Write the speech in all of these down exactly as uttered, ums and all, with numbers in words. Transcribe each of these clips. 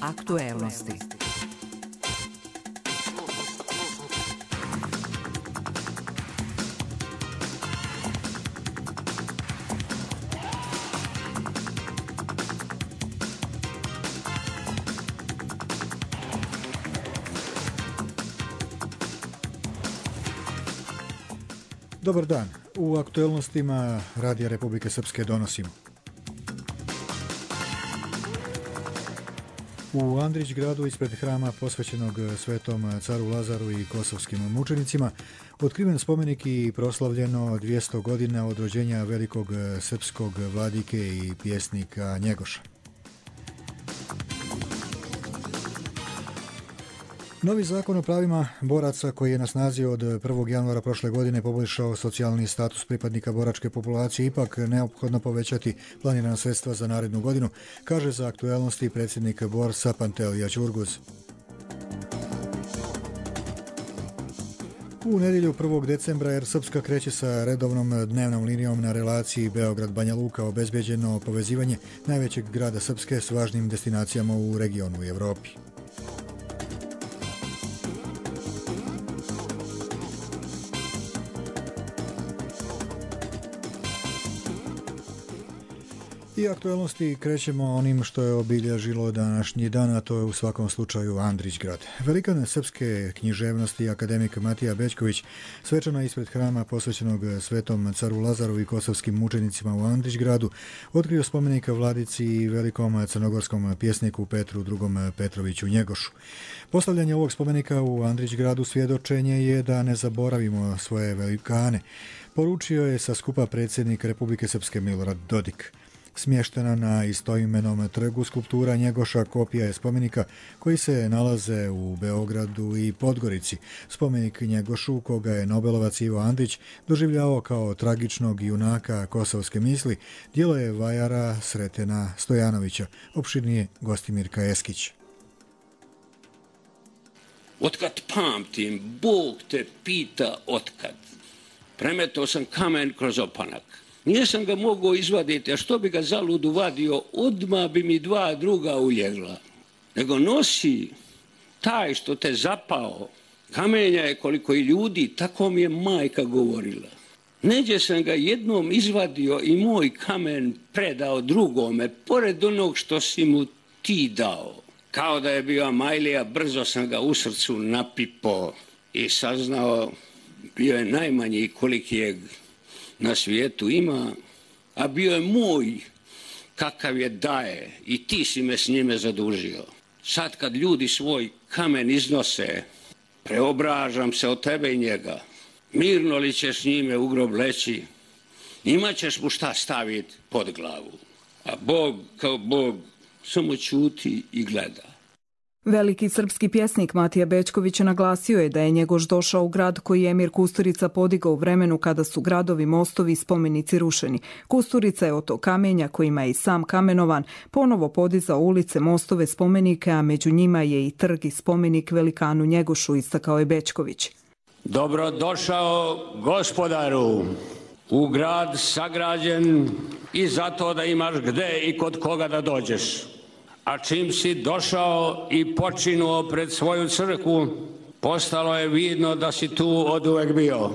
Aktuelnosti. Dobar dan. U aktuelnostima Radija Republike Srpske donosimo. U Andrićgradu ispred hrama posvećenog Svetom caru Lazaru i kosovskim mučenicima otkriven spomenik i proslavljeno dvjesto godina od rođenja velikog srpskog vladike i pjesnika Njegoša. Novi zakon o pravima boraca koji je na snazi od prvog januara prošle godine poboljšao socijalni status pripadnika boračke populacije, ipak neophodno povećati planirana sredstva za narednu godinu, kaže za aktuelnosti predsjednik Borsa Pantelija Ćurguz. U nedjelju prvog decembra Air Srpska kreće sa redovnom dnevnom linijom na relaciji Beograd-Banja Luka, obezbeđeno povezivanje najvećeg grada Srpske s važnim destinacijama u regionu i Evropi. I aktuelnosti krećemo onim što je obilježilo današnji dan, a to je u svakom slučaju Andrićgrad. Velikan srpske književnosti akademik Matija Bećković svečano ispred hrama posvećenog Svetom caru Lazaru i kosovskim mučenicima u Andrićgradu otkrio spomenik vladici i velikom crnogorskom pjesniku Petru drugom Petroviću Njegošu. Postavljanje ovog spomenika u Andrićgradu svjedočenje je da ne zaboravimo svoje velikane, poručio je sa skupa predsjednik Republike Srpske Milorad Dodik. Smještena na istoimenom trgu skulptura Njegoša kopija je spomenika koji se nalaze u Beogradu i Podgorici. Spomenik Njegošu, koga je Nobelovac Ivo Andrić doživljavao kao tragičnog junaka kosovske misli, djelo je vajara Sretena Stojanovića, opširnije Gostimirka Eskić. Otkad pamtim, Bog te pita otkad. Premetao sam kamen kroz opanak. Nisam ga mogao izvaditi, a što bi ga zaludu vadio, odmah bi mi dva druga uljegla. Nego nosi taj što te zapao, kamenja je koliko i ljudi, tako mi je majka govorila. Neđe sam ga jednom izvadio i moj kamen predao drugome, pored onog što si mu ti dao. Kao da je bio Amajlija, brzo sam ga u srcu napipao i saznao, bio je najmanji koliki je na svijetu ima, a bio je moj, kakav je daje, i ti si me s njime zadužio. Sad kad ljudi svoj kamen iznose, preobražam se od tebe i njega. Mirno li ćeš s njime u grob leći, imaćeš mu šta staviti pod glavu. A Bog kao Bog samo ćuti i gleda. Veliki srpski pjesnik Matija Bećković naglasio je da je Njegoš došao u grad koji je Emir Kusturica podigao u vremenu kada su gradovi, mostovi i spomenici rušeni. Kusturica je od tog kamenja, kojima je i sam kamenovan, ponovo podizao ulice, mostove, spomenike, a među njima je i trg i spomenik velikanu Njegošu, istakao je Bećković. Dobrodošao, gospodaru, u grad sagrađen i zato da imaš gde i kod koga da dođeš. A čim si došao i počinuo pred svoju crkvu, postalo je vidno da si tu oduvek bio.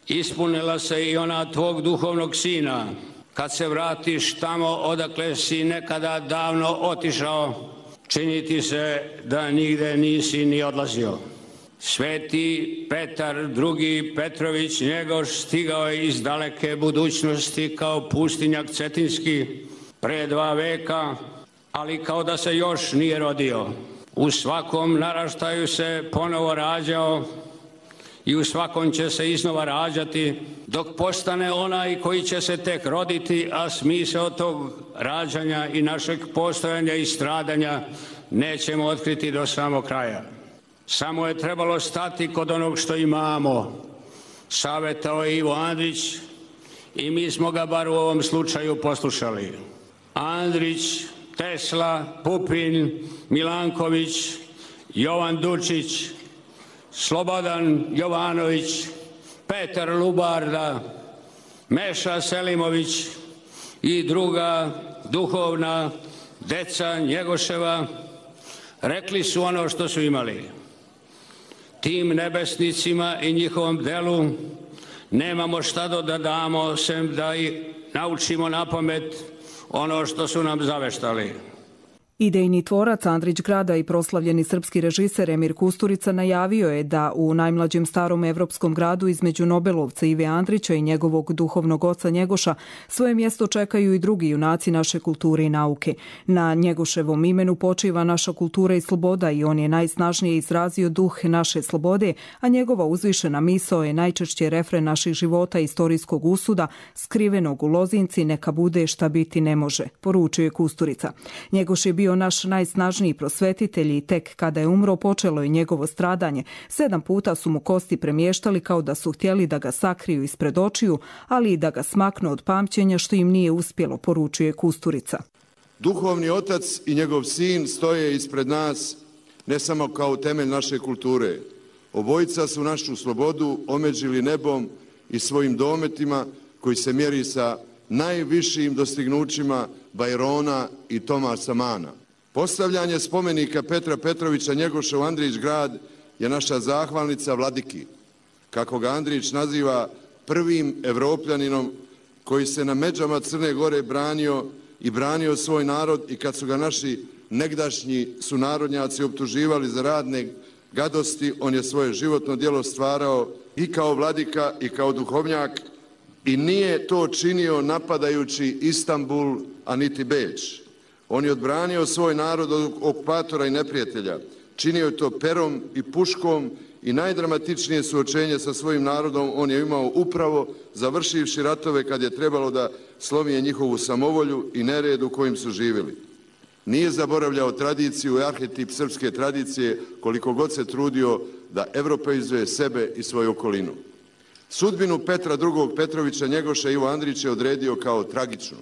Ispunila se i ona tvog duhovnog sina, kad se vratiš tamo odakle si nekada davno otišao, čini ti se da nigde nisi ni odlazio. Sveti Petar drugi Petrović Njegoš stigao je iz daleke budućnosti kao pustinjak cetinski pre dva veka, ali kao da se još nije rodio. U svakom naraštaju se ponovo rađao i u svakom će se iznova rađati, dok postane onaj koji će se tek roditi, a smisao tog rađanja i našeg postojanja i stradanja nećemo otkriti do samog kraja. Samo je trebalo stati kod onog što imamo. Savjetao je Ivo Andrić i mi smo ga bar u ovom slučaju poslušali. Andrić, Tesla, Pupin, Milanković, Jovan Dučić, Slobodan Jovanović, Petar Lubarda, Meša Selimović i druga duhovna deca Njegoševa rekli su ono što su imali. Tim nebesnicima i njihovom delu nemamo šta da damo, sem da i naučimo na pamet ono što su nam zaveštali. Idejni tvorac Andrić grada i proslavljeni srpski režiser Emir Kusturica najavio je da u najmlađem starom evropskom gradu između Nobelovca Ive Andrića i njegovog duhovnog oca Njegoša svoje mjesto čekaju i drugi junaci naše kulture i nauke. Na Njegoševom imenu počiva naša kultura i sloboda i on je najsnažnije izrazio duh naše slobode, a njegova uzvišena misao je najčešće refren naših života i istorijskog usuda, skrivenog u lozinci neka bude šta biti ne može, poručio je Kusturica. Njegoš je bio naš najsnažniji prosvetitelj i tek kada je umro počelo je njegovo stradanje. Sedam puta su mu kosti premještali kao da su htjeli da ga sakriju ispred očiju, ali i da ga smaknu od pamćenja, što im nije uspjelo, poručuje Kusturica. Duhovni otac i njegov sin stoje ispred nas ne samo kao temelj naše kulture. Obojica su našu slobodu omeđili nebom i svojim dometima koji se mjeri sa najvišim dostignućima Bajrona i Tomasa Mana. Postavljanje spomenika Petra Petrovića Njegoša u Andrić grad je naša zahvalnica vladiki, kako ga Andrić naziva prvim Evropljaninom koji se na međama Crne Gore branio i branio svoj narod i kad su ga naši negdašnji sunarodnjaci optuživali za radne gadosti, on je svoje životno djelo stvarao i kao vladika i kao duhovnjak i nije to činio napadajući Istanbul, a niti Beč. On je odbranio svoj narod od okupatora i neprijatelja. Činio je to perom i puškom i najdramatičnije suočenje sa svojim narodom on je imao upravo završivši ratove kad je trebalo da slomi njihovu samovolju i nered u kojim su živjeli. Nije zaboravljao tradiciju i arhetip srpske tradicije koliko god se trudio da evropeizuje sebe i svoju okolinu. Sudbinu Petra drugog Petrovića Njegoša Ivo Andrić je odredio kao tragičnu.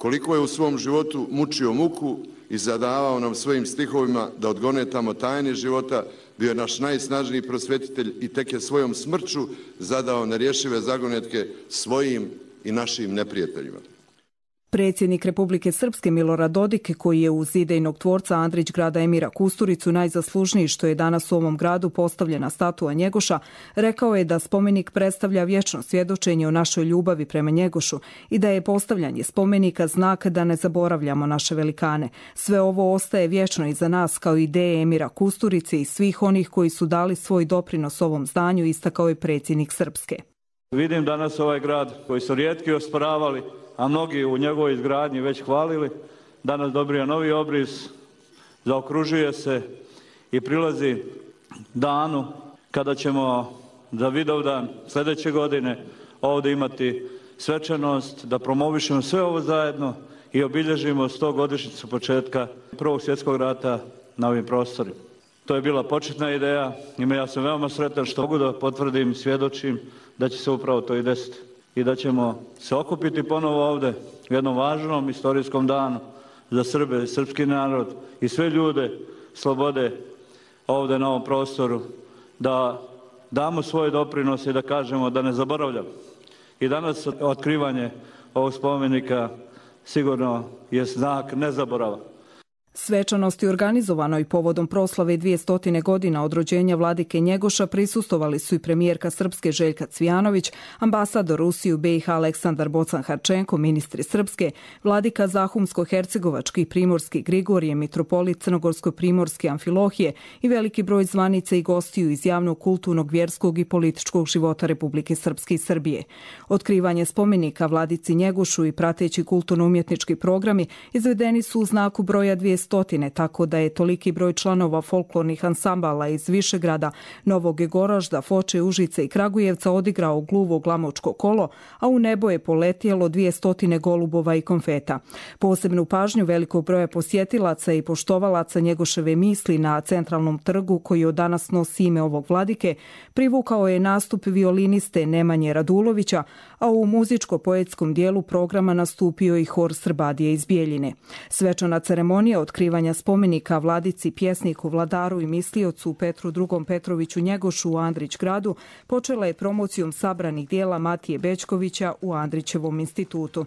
Koliko je u svom životu mučio muku i zadavao nam svojim stihovima da odgonetamo tajne života, bio je naš najsnažniji prosvetitelj i tek je svojom smrću zadao nerješive zagonetke svojim i našim neprijateljima. Predsjednik Republike Srpske Milorad Dodik, koji je uz idejnog tvorca Andrić grada Emira Kusturicu najzaslužniji što je danas u ovom gradu postavljena statua Njegoša, rekao je da spomenik predstavlja vječno svjedočenje o našoj ljubavi prema Njegošu i da je postavljanje spomenika znak da ne zaboravljamo naše velikane. Sve ovo ostaje vječno iza nas kao ideje Emira Kusturice i svih onih koji su dali svoj doprinos ovom zdanju, istakao je predsjednik Srpske. Vidim danas ovaj grad koji su rijetki osporavali, a mnogi u njegovoj izgradnji već hvalili, danas dobija novi obris, zaokružuje se i prilazi danu kada ćemo za Vidovdan sljedeće godine ovdje imati svečanost, da promovišemo sve ovo zajedno i obilježimo sto godišnjicu početka Prvog svjetskog rata na ovim prostorima. To je bila početna ideja i ja sam veoma sretan što mogu da potvrdim i svjedočim da će se upravo to i desiti i da ćemo se okupiti ponovo ovdje u jednom važnom istorijskom danu za Srbe, srpski narod i sve ljude slobode ovdje na ovom prostoru, da damo svoj doprinos i da kažemo da ne zaboravljamo. I danas otkrivanje ovog spomenika sigurno je znak nezaborava. Svečanosti organizovanoj povodom proslave dvije godina od rođenja vladike Njegoša prisustovali su i premijerka Srpske Željka Cvijanović, ambasador Rusije u B i H Aleksandar Bocan-Harčenko, ministri Srpske, vladika Zahumsko-Hercegovački i Primorski Grigorije, mitropolit Crnogorsko-Primorske Amfilohije i veliki broj zvanica i gostiju iz javnog, kulturnog, vjerskog i političkog života Republike Srpske i Srbije. Otkrivanje spomenika vladici Njegošu i prateći kulturno-umjetnički programi izvedeni su u znaku broja dvije stotine, tako da je toliki broj članova folklornih ansambala iz Višegrada, Novog Goražda, Foče, Užice i Kragujevca odigrao gluvo glamočko kolo, a u nebo je poletjelo dvije stotine golubova i konfeta. Posebnu pažnju velikog broja posjetilaca i poštovalaca Njegoševe misli na centralnom trgu, koji od danas nosi ime ovog vladike, privukao je nastup violiniste Nemanje Radulovića, a u muzičko-poetskom dijelu programa nastupio i hor Srbadije iz Bijeljine. Svečana ceremonija otkrivanja spomenika vladici, pjesniku, vladaru i misliocu Petru drugom Petroviću Njegošu u Andrić gradu počela je promocijom sabranih dijela Matije Bećkovića u Andrićevom institutu.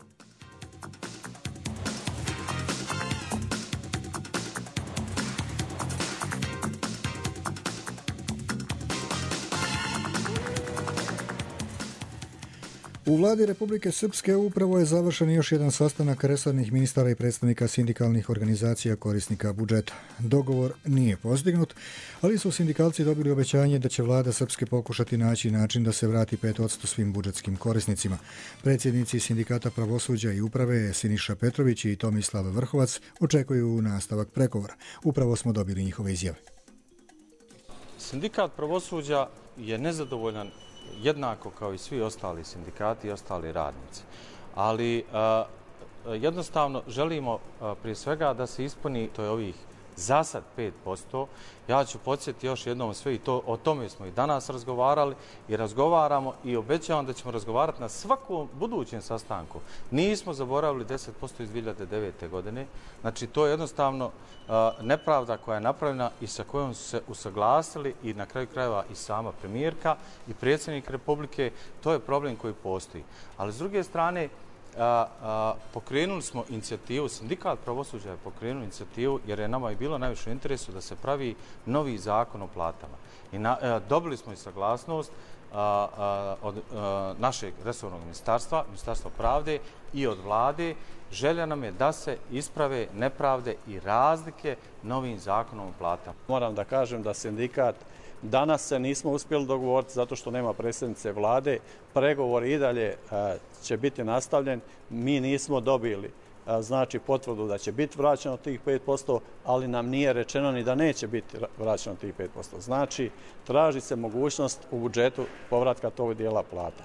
U vladi Republike Srpske upravo je završen još jedan sastanak resornih ministara i predstavnika sindikalnih organizacija korisnika budžeta. Dogovor nije postignut, ali su sindikalci dobili obećanje da će vlada Srpske pokušati naći način da se vrati pet posto svim budžetskim korisnicima. Predsjednici sindikata pravosuđa i uprave Siniša Petrović i Tomislav Vrhovac očekuju nastavak pregovora. Upravo smo dobili njihove izjave. Sindikat pravosuđa je nezadovoljan jednako kao i svi ostali sindikati i ostali radnici. Ali a, jednostavno želimo a, prije svega da se ispuni, to je ovih za sad pet posto. Ja ću podsjetiti još jednom sve i to, o tome smo i danas razgovarali i razgovaramo i obećavam da ćemo razgovarati na svakom budućem sastanku. Nismo zaboravili deset posto iz dvije hiljade devete. godine. Znači to je jednostavno a, nepravda koja je napravljena i sa kojom su se usaglasili i na kraju krajeva i sama premijerka i predsjednik Republike. To je problem koji postoji. Ali s druge strane, A, a, pokrenuli smo inicijativu, sindikat pravosuđa je pokrenuo inicijativu jer je nama i bilo najviše u interesu da se pravi novi zakon o platama. I na, a, dobili smo i saglasnost a, a, od a, našeg resornog ministarstva, Ministarstva pravde i od vlade. Želja nam je da se isprave nepravde i razlike novim zakonom o platama. Moram da kažem da sindikat danas se nismo uspjeli dogovoriti zato što nema predsjednice vlade. Pregovor i dalje će biti nastavljen. Mi nismo dobili znači potvrdu da će biti vraćeno tih pet posto, ali nam nije rečeno ni da neće biti vraćeno tih pet posto. Znači, traži se mogućnost u budžetu povratka tog dijela plata.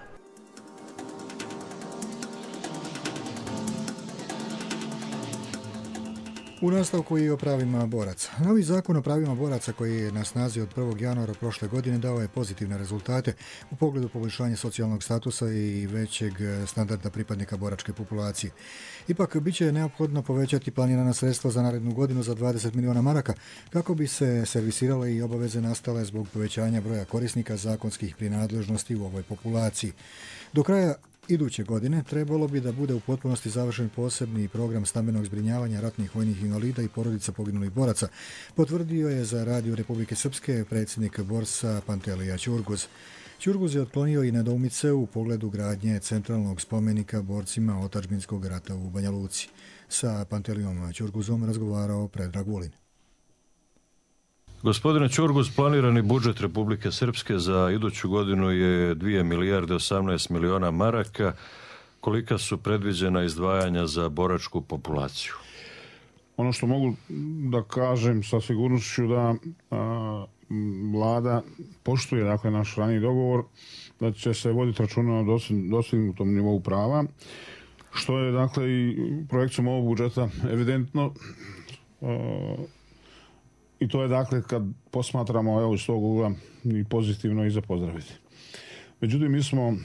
U nastavku i o pravima boraca. Novi zakon o pravima boraca koji je na snazi od prvog januara prošle godine dao je pozitivne rezultate u pogledu poboljšanja socijalnog statusa i većeg standarda pripadnika boračke populacije. Ipak, bit će neophodno povećati planirana sredstva za narednu godinu za dvadeset miliona maraka kako bi se servisirale i obaveze nastale zbog povećanja broja korisnika zakonskih prinadležnosti u ovoj populaciji. Do kraja iduće godine trebalo bi da bude u potpunosti završen posebni program stambenog zbrinjavanja ratnih vojnih invalida i porodica poginulih boraca, potvrdio je za Radio Republike Srpske predsjednik Borsa Pantelija Ćurguz. Ćurguz je otklonio i nedoumice u pogledu gradnje centralnog spomenika borcima otadžbinskog rata u Banja Luci. Sa Pantelijom Ćurguzom razgovarao Predrag Vulin. Gospodine Ćurguz, planirani budžet Republike Srpske za iduću godinu je dvije milijarde osamnaest miliona maraka. Kolika su predviđena izdvajanja za boračku populaciju? Ono što mogu da kažem sa sigurnošću da a, vlada poštuje dakle, naš raniji dogovor da će se voditi računa o dostignutom nivou prava, što je dakle i projekcijom ovog budžeta evidentno. A, I to je dakle kad posmatramo evo iz tog ugla i pozitivno i za pozdraviti. Međutim, mi smo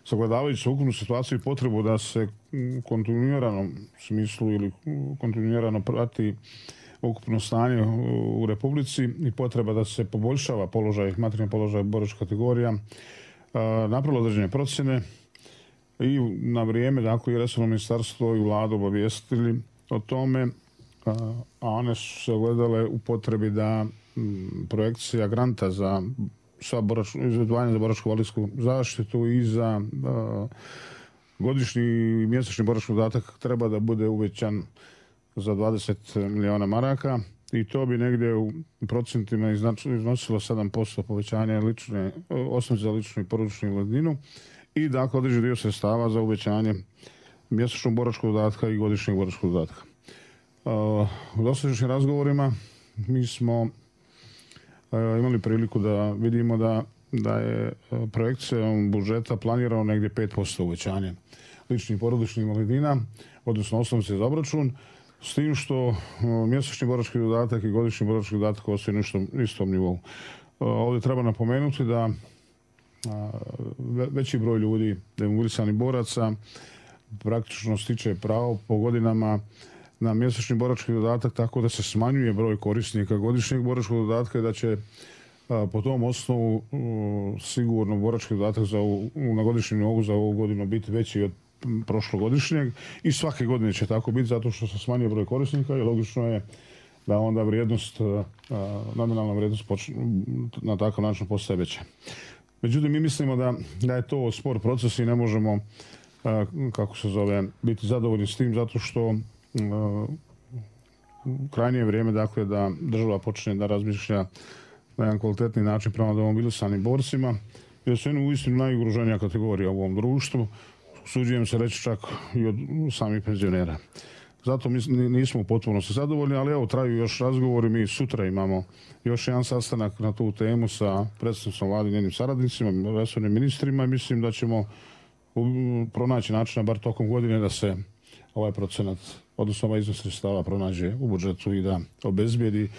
sagledavajući ukupnu situaciju i potrebu da se u kontinuiranom smislu ili kontinuirano prati ukupno stanje u Republici i potreba da se poboljšava položaj, materijalni položaj boračkih kategorija, napravilo određene procjene i na vrijeme dakle i resorno ministarstvo i vladu obavijestili o tome, a one su se ogledale u potrebi da m, projekcija granta za sva izdvajanja za boračku invalidsku zaštitu i za a, godišnji i mjesečni borački dodatak treba da bude uvećan za dvadeset miliona maraka i to bi negdje u procentima iznosilo sedam posto povećanja lične, osnovice za ličnu i porodičnu invalidninu i dakle određen dio sredstava za uvećanje mjesečnog boračkog dodatka i godišnjeg boračkog dodatka. U dosadašnjim razgovorima mi smo imali priliku da vidimo da, da je projekcijom budžeta planirano negdje pet posto uvećanje ličnih i porodičnih invalidnina, odnosno osnovice za obračun, s tim što mjesečni borački dodatak i godišnji borački dodatak ostaju na istom nivou. Ovdje treba napomenuti da veći broj ljudi, demobilisanih boraca, praktično stiče pravo po godinama na mjesečni borački dodatak tako da se smanjuje broj korisnika godišnjeg boračkog dodatka i da će a, po tom osnovu a, sigurno borački dodatak za ovu, na godišnjem nivou za ovu godinu biti veći od prošlogodišnjeg i svake godine će tako biti zato što se smanjuje broj korisnika i logično je da onda vrijednost, a, nominalna vrijednost počne, na takav način postaje veća. Međutim, mi mislimo da, da je to spor proces i ne možemo, kako se zove, biti zadovoljni s tim, zato što krajnje je vrijeme, dakle, da država počne da razmišlja na jedan kvalitetni način prema demobilisanim borcima, jer su jedno uistinu najugroženija kategorija u ovom društvu, usuđujem se reći čak i od samih penzionera. Zato mi nismo potpuno se zadovoljni, ali evo, traju još razgovori. Mi sutra imamo još jedan sastanak na tu temu sa predsjednicom vlade i njenim saradnicima, resornim ministrima i mislim da ćemo pronaći načina, bar tokom godine, da se ovaj procenat, odnosno ovaj iznos sredstava pronađe u budžetu i da obezbijedi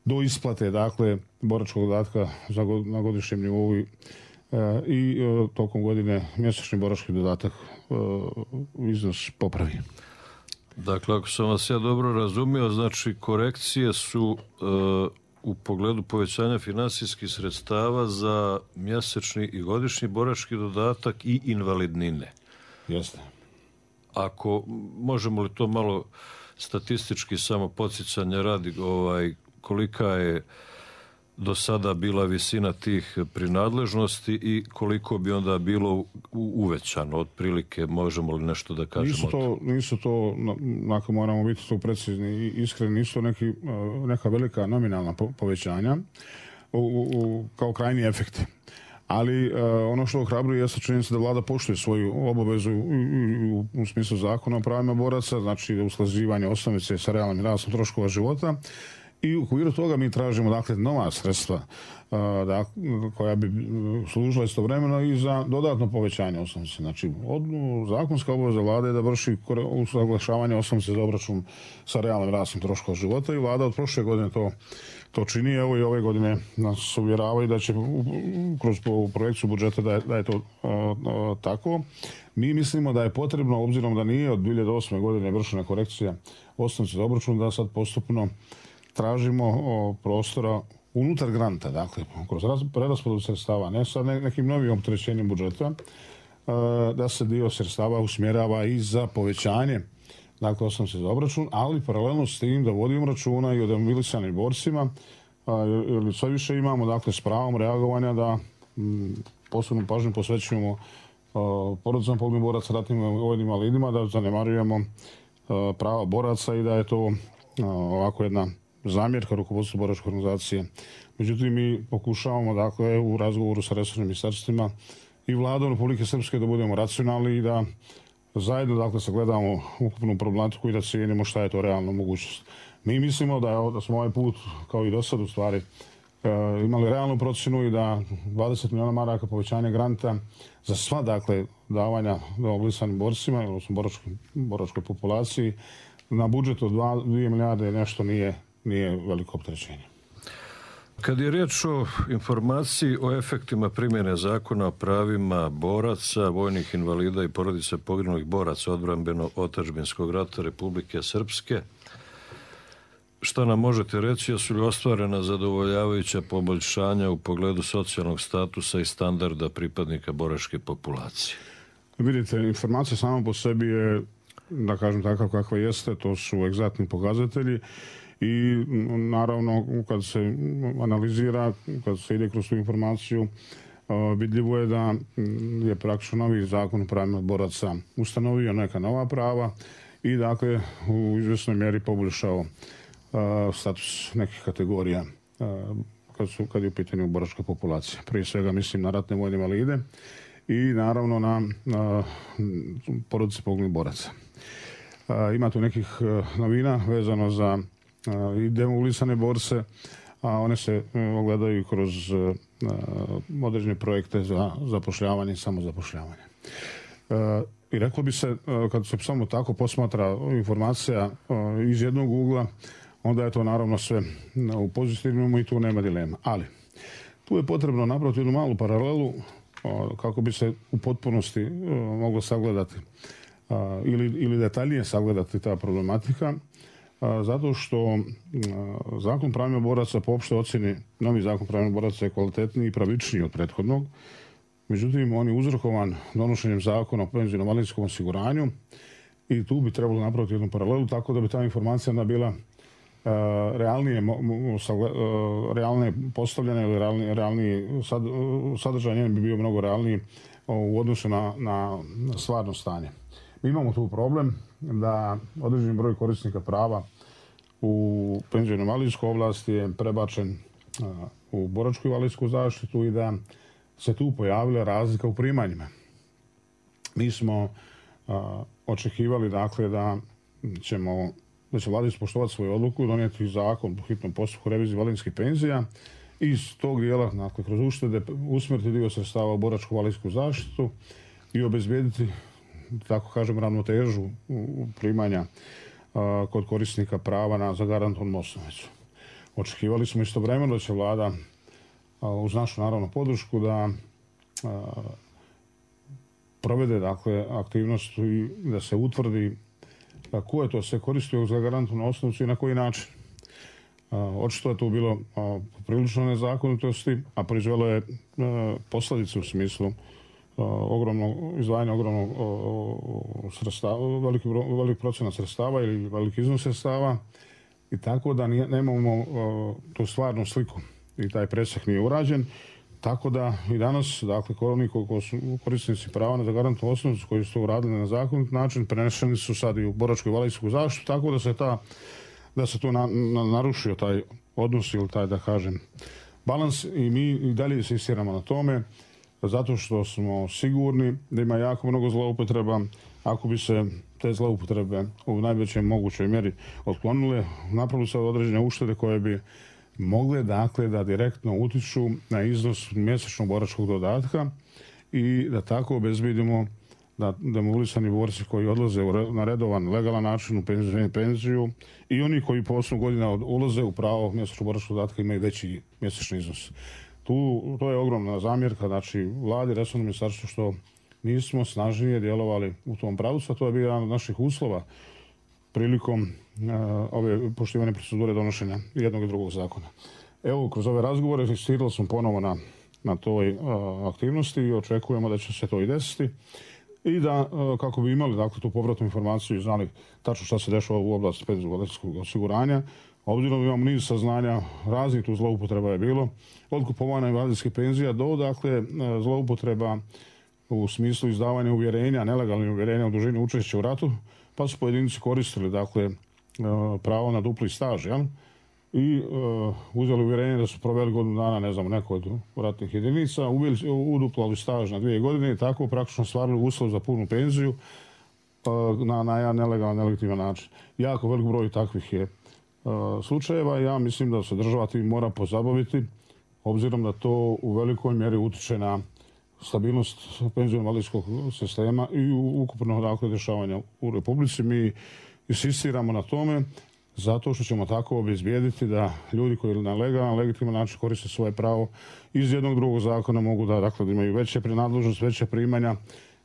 do isplate, dakle, boračkog dodatka za god, na godišnjem nivou i, e, i e, tokom godine mjesečni borački dodatak e, iznos popravi. Dakle, ako sam vas ja dobro razumio, znači korekcije su e, u pogledu povećanja finansijskih sredstava za mjesečni i godišnji borački dodatak i invalidnine. Jeste. Ako možemo li to malo statistički samo podsjećanja radi, ovaj, kolika je do sada bila visina tih prinadležnosti i koliko bi onda bilo uvećano otprilike, možemo li nešto da kažemo? Nisu to, nisu to ako moramo biti tu precizni i iskreni, nisu to neki, neka velika nominalna povećanja u, u, kao krajni efekti. Ali uh, ono što ohrabruje jeste činjenica da vlada poštuje svoju obavezu u, u, u smislu zakona o pravima boraca, znači usklađivanje osnovice sa realnim rastom troškova života. I u okviru toga mi tražimo, dakle, nova sredstva uh, da, koja bi služila istovremeno i za dodatno povećanje osnovice. Znači, od, zakonska obaveza vlade je da vrši usaglašavanje osnovice za obračun sa realnim rastom troškova života i vlada od prošle godine to to čini. Evo i ove godine nas uvjeravaju da će kroz projekciju budžeta da je, da je to o, o, tako. Mi mislimo da je potrebno, obzirom da nije od dvije hiljade osme godine vršena korekcija osnovice za obračun, da sad postupno tražimo o, prostora unutar granta, dakle, kroz preraspodjelu sredstava, ne sa ne, nekim novim opterećenjem budžeta, a, da se dio sredstava usmjerava i za povećanje, dakle, osnovice za obračun, ali paralelno s tim da vodimo računa i o demobilisanim borcima, jer sve više imamo, dakle, s pravom reagovanja da m, posebnu pažnju posvećujemo porodicama poginulih boraca, ratnim vojnim invalidima, da zanemarujemo a, prava boraca i da je to a, ovako jedna zamjerka rukovodstvu boračke organizacije. Međutim, mi pokušavamo, dakle, u razgovoru sa resornim ministarstvima i vladom Republike Srpske da budemo racionalni i da zajedno, dakle, sagledamo ukupnu problematiku i da cijenimo šta je to realna mogućnost. Mi mislimo da, je, da smo ovaj put, kao i do sad, u stvari, e, imali realnu procjenu i da dvadeset miliona maraka povećanja granta za sva, dakle, davanja demobilisanim borcima, odnosno boračkoj, boračkoj populaciji, na budžetu od dvije milijarde nešto nije, nije veliko opterećenje. Kad je riječ o informaciji o efektima primjene zakona o pravima boraca, vojnih invalida i porodica poginulih boraca odbrambeno-otadžbinskog rata Republike Srpske, šta nam možete reći, jesu li ostvarena zadovoljavajuća poboljšanja u pogledu socijalnog statusa i standarda pripadnika boračke populacije? Vidite, informacija sama po sebi je, da kažem takav kakva jeste, to su egzaktni pokazatelji. I naravno, kad se analizira, kad se ide kroz tu informaciju, vidljivo je da je praktično novi zakon o pravima boraca ustanovio neka nova prava i, dakle, u izvjesnoj mjeri poboljšao status nekih kategorija kad, su, kad je u pitanju boračka populacija. Prije svega mislim na ratne vojne invalide i naravno na, na porodice poginulih boraca. Ima tu nekih novina vezano za i demobilisane borce, a one se ogledaju kroz određene projekte za zapošljavanje i samozapošljavanje. I reklo bi se, kad se samo tako posmatra informacija iz jednog ugla, onda je to naravno sve u pozitivnom i tu nema dilema. Ali tu je potrebno napraviti jednu malu paralelu kako bi se u potpunosti moglo sagledati ili, ili detaljnije sagledati ta problematika. Zato što zakon pravima boraca po opštoj ocjeni, novi zakon pravima boraca je kvalitetniji i pravičniji od prethodnog. Međutim, on je uzrokovan donošenjem zakona o penzijskom invalidskom osiguranju i tu bi trebalo napraviti jednu paralelu tako da bi ta informacija bila realnije, realnije postavljene ili realniji, realniji sad, sadržaj njen bi bio mnogo realniji u odnosu na, na stvarno stanje. Mi imamo tu problem da određeni broj korisnika prava u penzijsko-invalidskoj oblasti je prebačen u boračku invalidsku zaštitu i da se tu pojavila razlika u primanjima. Mi smo a, očekivali dakle da ćemo da će vlada ispoštovati svoju odluku i donijeti zakon po hitnom postupku revizije invalidskih penzija i iz tog dijela, dakle, kroz uštede usmjeriti dio sredstava u boračku invalidsku zaštitu i obezbijediti, tako kažem, ravnotežu u primanja a, kod korisnika prava na zagarantovanu osnovicu. Očekivali smo istovremeno da će vlada a, uz našu naravno podršku da a, provede dakle aktivnost i da se utvrdi a, ko je to sve koristio za zagarantovanu osnovicu i na koji način. A, očito je to bilo a, prilično nezakonitosti, a proizvelo je a, posljedice u smislu ogromnog izdvajanja ogromnog sredstava, veliki, veliki procenat sredstava ili veliki iznos sredstava i tako da nije, nemamo o, tu stvarnu sliku i taj presjek nije urađen. Tako da i danas, dakle, oni koji su korisnici prava na zagarantovanu osnovicu koji su to uradili na zakonit način, prenešeni su sad i u boračku invalidsku zaštitu, tako da se ta da se tu na, na, narušio taj odnos ili taj, da kažem, balans i mi i dalje insistiramo na tome zato što smo sigurni da ima jako mnogo zloupotreba. Ako bi se te zloupotrebe u najvećoj mogućoj mjeri otklonile, napravili se određene uštede koje bi mogle dakle da direktno utiču na iznos mjesečnog boračkog dodatka i da tako obezbedimo da demobilisani borci koji odlaze na redovan, legalan način u penziju, penziju i oni koji po osam godina ulaze u pravo mjesečnog boračkog dodatka imaju veći mjesečni iznos. Tu, to je ogromna zamjerka, znači vladi, resornom ministarstvu što nismo snažnije djelovali u tom pravcu, a to je bio jedan od naših uslova prilikom uh, ove poštivane procedure donošenja jednog i drugog zakona. Evo, kroz ove razgovore insistirali smo ponovo na, na toj uh, aktivnosti i očekujemo da će se to i desiti i da, uh, kako bi imali dakle, tu povratnu informaciju i znali tačno šta se dešava u oblasti penzijskog osiguranja, obzirom imamo niz saznanja, raznih tu zloupotreba je bilo, od kupovanja invalidskih penzija do dakle, zloupotreba u smislu izdavanja uvjerenja, nelegalnih uvjerenja u dužini učešća u ratu, pa su pojedinci koristili dakle, pravo na dupli staž, jel? I uh, uzeli uvjerenje da su proveli godinu dana, ne znam, neko od ratnih jedinica, uduplali staž na dvije godine i tako praktično stvarili uslov za punu penziju uh, na, na jedan nelegalan, nelegitiman način. Jako velik broj takvih je uh, slučajeva. Ja mislim da se država tim mora pozabaviti, obzirom da to u velikoj mjeri utiče na stabilnost penzijsko-invalidskog sistema i ukupno dakle, dešavanja u Republici. Mi insistiramo na tome zato što ćemo tako obezbijediti da ljudi koji na legalan, legitiman način koriste svoje pravo iz jednog drugog zakona mogu da, dakle, da imaju veće prenadležnost, veće primanja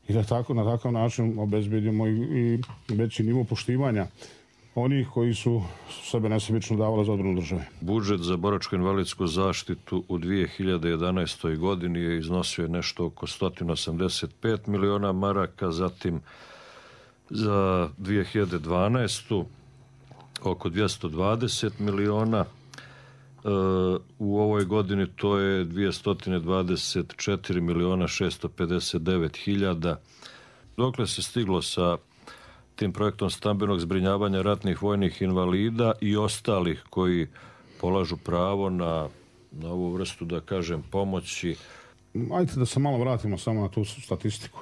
i da tako, na takav način obezbijedimo i, i veći nivo poštivanja onih koji su sebe nesebično davali za odbranu države. Budžet za boračko-invalidsku zaštitu u dvije hiljade jedanaestoj godini je iznosio nešto oko sto osamdeset pet miliona maraka, zatim za dvije hiljade dvanaestu oko dvjesto dvadeset miliona. E, u ovoj godini to je dvjesto dvadeset četiri miliona šesto pedeset devet hiljada. Dokle se stiglo sa tim projektom stambenog zbrinjavanja ratnih vojnih invalida i ostalih koji polažu pravo na, na ovu vrstu, da kažem, pomoći? Ajde da se malo vratimo samo na tu statistiku.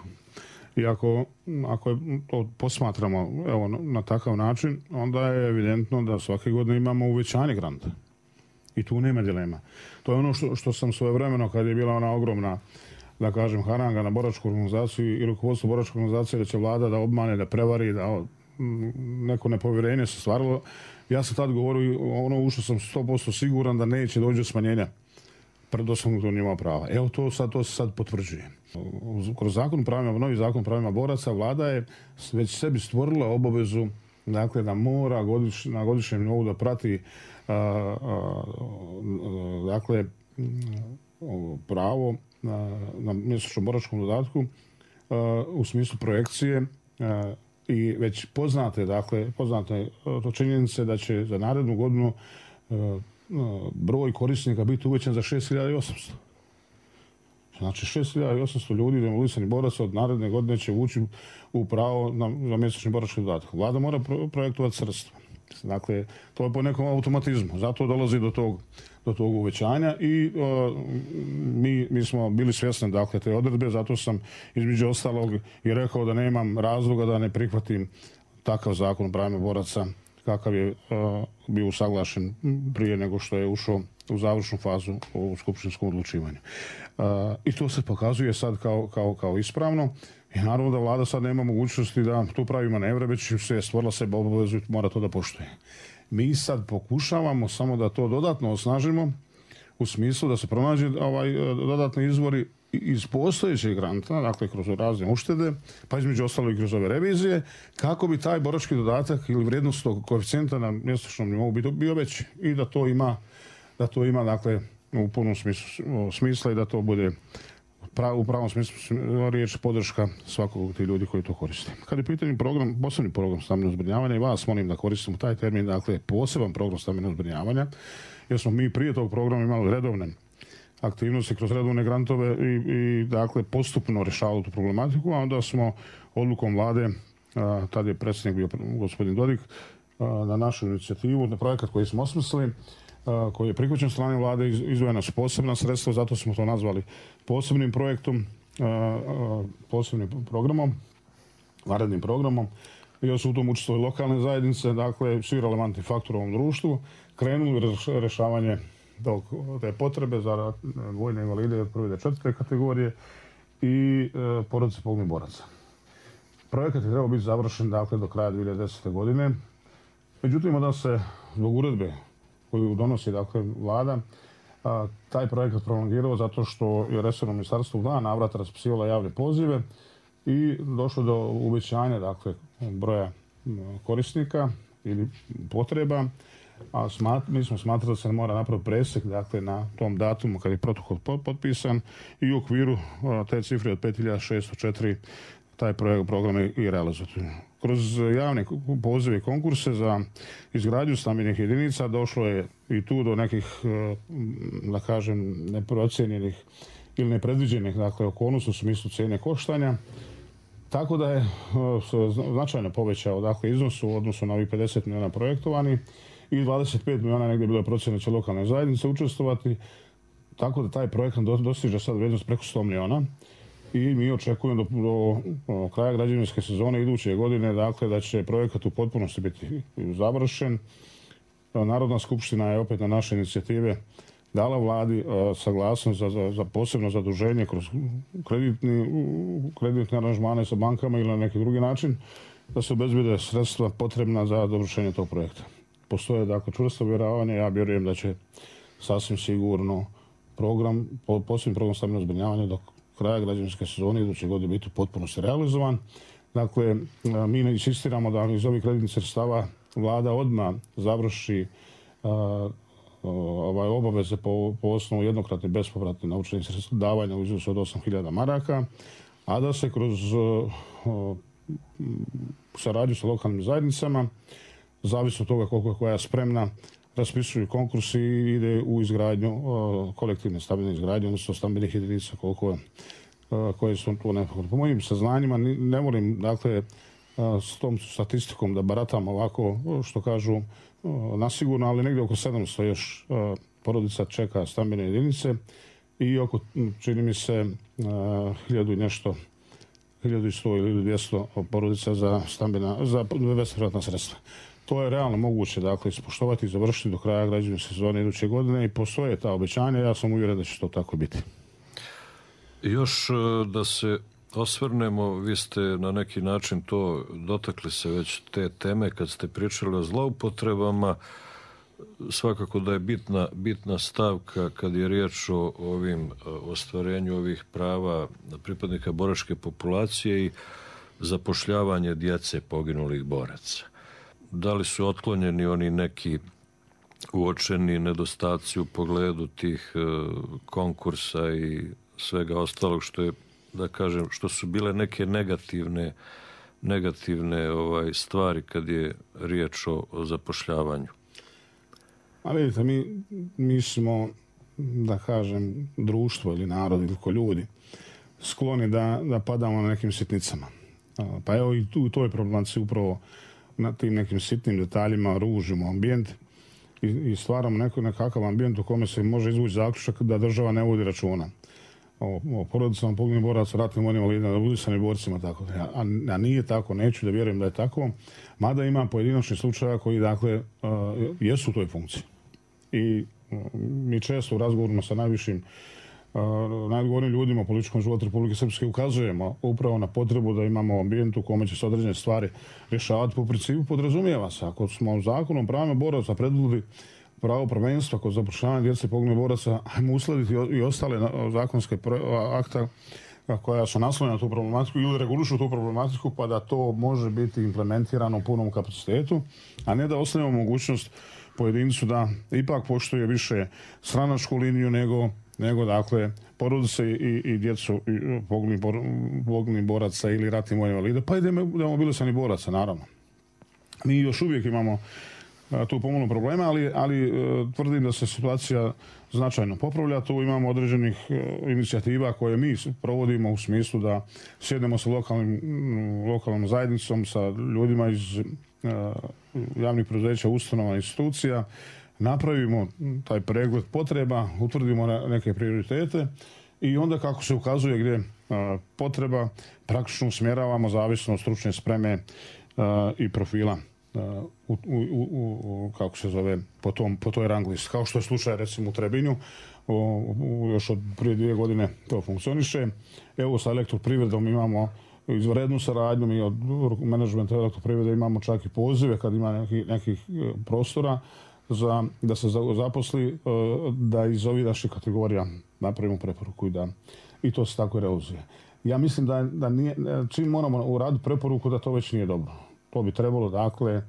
I ako, ako je to posmatramo evo, na, na takav način, onda je evidentno da svake godine imamo uvećanje granta. I tu nema dilema. To je ono što, što sam svojevremeno, kad je bila ona ogromna, da kažem, haranga na boračku organizaciju i rukovodstvo boračke organizacije da će vlada da obmane, da prevari, da neko nepovjerenje se stvarilo. Ja sam tad govorio, ono u što sam sto posto siguran da neće doći do smanjenja predoslovnog nivoa prava. Evo to sad, to se sad potvrđuje. Kroz zakon pravima, novi zakon pravima boraca, vlada je već sebi stvorila obavezu dakle, da mora godiš, na godišnjem nivou da prati a, a, a, dakle, pravo na, na mjesečnom boračkom dodatku a, u smislu projekcije a, i već poznate, dakle, poznate to činjenice da će za narednu godinu broj korisnika biti uvećan za šest hiljada osamsto. Znači šest hiljada osamsto ljudi demolisanih boraca od naredne godine će ući u pravo na, na mjesečni borački dodatak. Vlada mora pro, projektovati sredstva. Dakle, to je po nekom automatizmu. Zato dolazi do tog, do tog uvećanja i o, mi, mi smo bili svjesni dakle, te odredbe, zato sam između ostalog i rekao da nemam razloga da ne prihvatim takav zakon o pravima boraca kakav je o, bio usaglašen prije nego što je ušao u završnu fazu u skupštinskom odlučivanju. O, I to se pokazuje sad kao, kao, kao ispravno. I naravno da vlada sad nema mogućnosti da tu pravi manevre, već se je stvorila sebe obavezu i mora to da poštuje. Mi sad pokušavamo samo da to dodatno osnažimo u smislu da se pronađe ovaj dodatni izvori iz postojećeg granta, dakle kroz razne uštede, pa između ostalo i kroz ove revizije, kako bi taj borački dodatak ili vrijednost tog koeficijenta na mjesečnom nivou bio veći i da to ima, da to ima dakle u punom smislu, smisla i da to bude u pravom smislu riječ podrška svakog od tih ljudi koji to koriste. Kad je pitanje program, posebni program stambenog zbrinjavanja i vas molim da koristimo taj termin, dakle poseban program stambenog zbrinjavanja, jer smo mi prije tog programa imali redovne aktivnosti kroz redovne grantove i, i dakle postupno rješavali tu problematiku, a onda smo odlukom vlade, a, tad je predsjednik bio gospodin Dodik, a, na našu inicijativu, na projekat koji smo osmislili, koji je prihvaćen strane vlade, izdvojena su posebna sredstva, zato smo to nazvali posebnim projektom, posebnim programom, vanrednim programom. I su u tom učestvovali lokalne zajednice, dakle svi relevantni faktori u ovom društvu, krenuli rješavanje te potrebe za vojne invalide od prve do četvrte kategorije i porodice poginulih boraca. Projekat je trebao biti završen dakle, do kraja dvije hiljade desete. godine. Međutim, da se zbog uredbe koju donosi dakle, vlada, a, taj projekat prolongirao zato što je resorno ministarstvo u dva navrata raspisivalo javne pozive i došlo do uvećanja dakle, broja korisnika ili potreba, a smat, mi smo smatrali da se mora napraviti presek dakle, na tom datumu kad je protokol potpisan i u okviru a, te cifre od pet hiljada šesto četiri taj projekt, program je i realizovati. Kroz javne pozive i konkurse za izgradnju stambenih jedinica došlo je i tu do nekih, da kažem, neprocijenjenih ili nepredviđenih dakle, okolnosti u smislu cijene koštanja. Tako da je značajno povećao dakle, iznos u odnosu na ovih pedeset milijuna projektovani i dvadeset pet milijuna negdje bilo je procjena će lokalne zajednice učestvovati. Tako da taj projekt dostiže sad vrijednost preko sto milijuna. I mi očekujemo do, do, do kraja građevinske sezone iduće godine dakle, da će projekat u potpunosti biti završen. Narodna skupština je opet na naše inicijative dala vladi a, saglasnost za, za, za posebno zaduženje kroz kreditni, kreditne aranžmane sa bankama ili na neki drugi način da se obezbede sredstva potrebna za dovršenje tog projekta. Postoje dakle, čvrsto vjerovanje, ja vjerujem da će sasvim sigurno program, posebni program stambenog zbrinjavanja dok kraja građevinske sezone iduće godine biti potpuno se realizovan. Dakle, mi insistiramo da iz ovih kreditnih sredstava vlada odmah završi a, ovaj, obaveze po, po osnovu jednokratne bespovratne novčanih sredstva davanja u iznosu od osam hiljada maraka, a da se kroz a, saradnju sa lokalnim zajednicama, zavisno od toga koliko je koja spremna, raspisuju konkursi i ide u izgradnju o, kolektivne stambene izgradnje, odnosno stambenih jedinica koliko o, koje su tu nekako. Po mojim saznanjima ne volim dakle o, s tom statistikom da baratam ovako što kažu o, nasigurno, ali negdje oko sedamsto još o, porodica čeka stambene jedinice i oko, čini mi se, o, hiljadu i nešto, hiljadu i sto ili dvjesto porodica za stambena, za bespovratna sredstva. To je realno moguće dakle, ispoštovati i završiti do kraja građevinske sezone iduće godine i postoje ta obećanja. Ja sam uvjeren da će to tako biti. Još da se osvrnemo, vi ste na neki način to dotakli se već te teme kad ste pričali o zloupotrebama. Svakako da je bitna, bitna stavka kad je riječ o ovim ostvarenju ovih prava pripadnika boračke populacije i zapošljavanje djece poginulih boraca. Da li su otklonjeni oni neki uočeni nedostaci u pogledu tih konkursa i svega ostalog što je, da kažem, što su bile neke negativne negativne ovaj, stvari kad je riječ o, o zapošljavanju? A vidite, mi, mi smo, da kažem, društvo ili narod ili ko ljudi skloni da, da padamo na nekim sitnicama. Pa evo i tu u toj problematici upravo na tim nekim sitnim detaljima ružimo ambijent i, i stvaramo neko, nekakav ambijent u kome se može izvući zaključak da država ne vodi računa o, o porodicama poginulih boraca, ratnim vojnim invalidima, mobilisanim borcima, tako. A, a nije tako, neću da vjerujem da je tako, mada ima pojedinačni slučaja koji, dakle, uh, jesu u toj funkciji. I uh, mi često u razgovorima sa najvišim Uh, najodgovornim ljudima u političkom životu Republike Srpske ukazujemo upravo na potrebu da imamo ambijent u kome će se određene stvari rješavati. Po principu podrazumijeva se, ako smo zakonom pravima boraca predvidjeli pravo prvenstva kod zapošljavanja djece poginulih boraca, ajmo uskladiti i ostale zakonske akta koja su naslonjena na tu problematiku ili regulišu tu problematiku, pa da to može biti implementirano u punom kapacitetu, a ne da ostavimo mogućnost pojedincu da ipak poštuje više stranačku liniju nego nego, dakle, porodice i, i djecu poginulih boraca ili ratnih vojnih invalida, pa i demobilisanih boraca, naravno. Mi još uvijek imamo a, tu pomalo problema, ali, ali a, tvrdim da se situacija značajno popravlja. Tu imamo određenih a, inicijativa koje mi provodimo u smislu da sjednemo sa lokalnim, lokalnom zajednicom, sa ljudima iz a, javnih preduzeća, ustanova, institucija, napravimo taj pregled potreba, utvrdimo neke prioritete i onda kako se ukazuje gdje a, potreba, praktično usmjeravamo zavisno od stručne spreme a, i profila a, u, u, u, u, kako se zove, po, tom, po toj rang listi. Kao što je slučaj recimo u Trebinju, o, u, još od prije dvije godine to funkcioniše. Evo sa Elektroprivredom imamo izvanrednu saradnju, mi od menadžmenta Elektroprivrede imamo čak i pozive kad ima nekih, nekih prostora za, da se zaposli, da iz ovih naših kategorija napravimo preporuku i da i to se tako realizuje. Ja mislim da, da nije, čim moramo uraditi preporuku da to već nije dobro. To bi trebalo, dakle,